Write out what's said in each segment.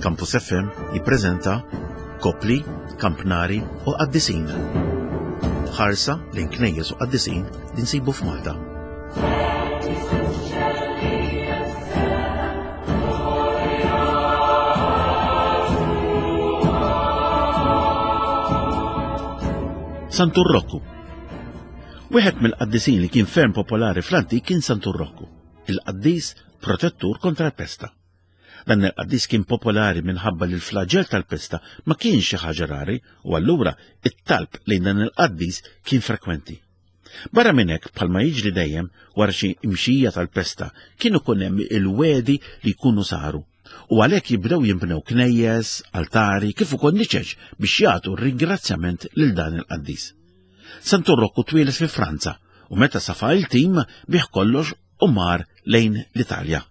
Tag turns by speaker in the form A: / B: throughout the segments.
A: Campus FM jippreżenta Kopli, Kampnari u Qaddisin. Ħarsa lejn knejjes u qaddisin li nsibu f'Malta. Santu Rokku. Wieħed mill-qaddisin li kien ferm popolari fl-antik kien Santu Rokku, il-qaddis protettur kontra l-pesta. Dan il-qaddis kien popolari minħabba li l-flaġell tal-pesta ma kienx xi ħaġa rari u allura it-talb lejn dan il-qaddis kien frekwenti. Barra minn hekk, bħalma jiġri dejjem wara xi imxija tal-pesta, kien ikun hemm il-wegħdi li jkunu saru u għalhekk jibdew jinbnew knejjes, altari, kif ukoll niċeċ biex jagħtu ringrazzjament lil dan il-qaddis. Santu Rokku twieled fi Franza u meta safa il-tim bih kollox u mar lejn l-Italja.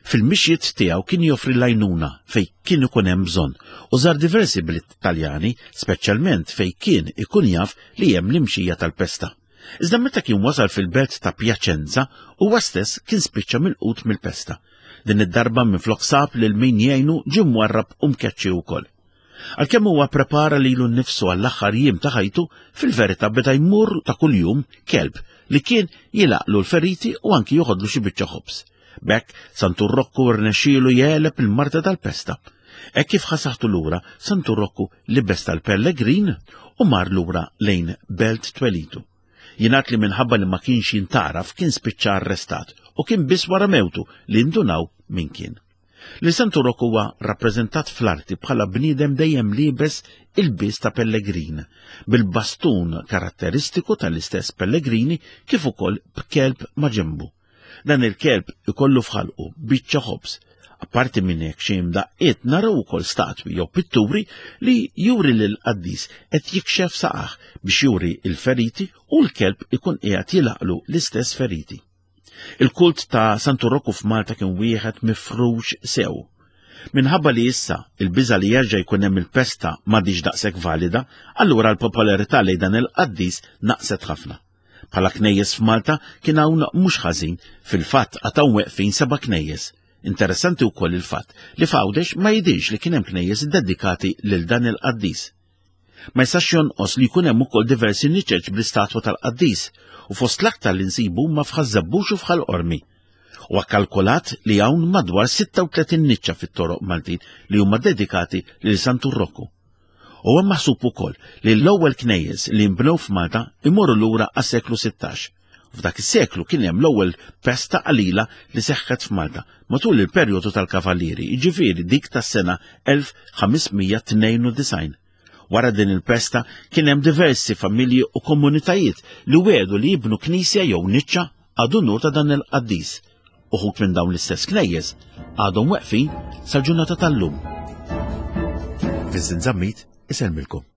A: Fil-mixjiet tiegħu kien joffri l-għajnuna fejn kien ikun hemm bżonn u żar diversi bliet Taljani, speċjalment fejn kien ikun jaf li hemm l-imxija tal-pesta. Iżda meta kien wasal fil-belt ta' Piacenza, huwa stess kien spiċċa milqut mill-pesta. Din id-darba minflok sab lil min jgħinu ġie mwarrab u mkeċċi wkoll. Għalkemm huwa prepara lilu nnifsu għall-aħħar jiem ta' ħajtu, fil-verità beda jmur ta' kuljum kelb li kien jilaqlu l-feriti u anki joħodlu xi biċċa ħobż. B'hekk, Santu Rokku rnexxielu jegħleb il-marda tal-pesta. Hekk kif ħasaħtu lura, Santu Rokku libes tal-pellegrin u mar lura lejn belt twelitu. Jingħad li minħabba li ma kienx jintgħaraf kien spiċċa arrestat u kien biss wara mewtu li ndunaw min kien. Li Santu Rokku huwa rappreżentat fl-arti bħala bniedem dejjem liebes ilbies ta' pellegrin, bil-bastun karatteristiku tal-istess pellegrini kif ukoll b'kelb ma' ġenbu. Dan il-kelb ikollu f'ħalqu biċċa ħobż. Apparti minn hekk xi imdaqqiet naraw ukoll statwi jew pitturi li juri lil qaddis qed jikxef saqah biex juri l-feriti u l-kelb ikun qiegħed jilaqlu l-istess feriti. Il-kult ta' Santu Rokku f'Malta kien wieħed mifrux sew. Minħabba li issa il-biża' li jerġa' jkun hemm il-pesta m'għadhiex daqshekk valida, allura l-popolarità lejn dan il-qaddis naqset ħafna. Bħala knejjes f'Malta kien hawn mhux ħażin, fil-fatt għad hawn weqfin seba' knejjes. Interessanti wkoll il-fatt li f'Għawdex ma jidhirx li kien hemm knejjes iddedikati lil dan il-qaddis. Ma jistax jonqos li jkun hemm ukoll diversi niċeċ bl-istatwa tal-qaddis u fost l-aktar li nsibu huma f'Ħaż-Żebbuġ u f'Ħal Qormi. Huwa kkalkulat li hawn madwar 36 niċċa fit-toroq Maltin li huma dedikati lil Santu Rokku. Huwa maħsub ukoll li l-ewwel knejjes li nbnew f'Malta imorru lura għas-seklu 16. F'dak is-seklu kien hemm l-ewwel pesta qalila li seħħet f'Malta matul il-perjodu tal-Kavallieri, jiġifieri dik tas-sena 1592. Wara din il-pesta kien hemm diversi familji u komunitajiet li wiegħdu li jibnu knisja jew niċċa għad unur ta' dan il-qaddis. Uħud minn dawn l-istess knejjes għadhom weqfin sal-ġurnata tal-lum. Vincent Zammit isellmilkom.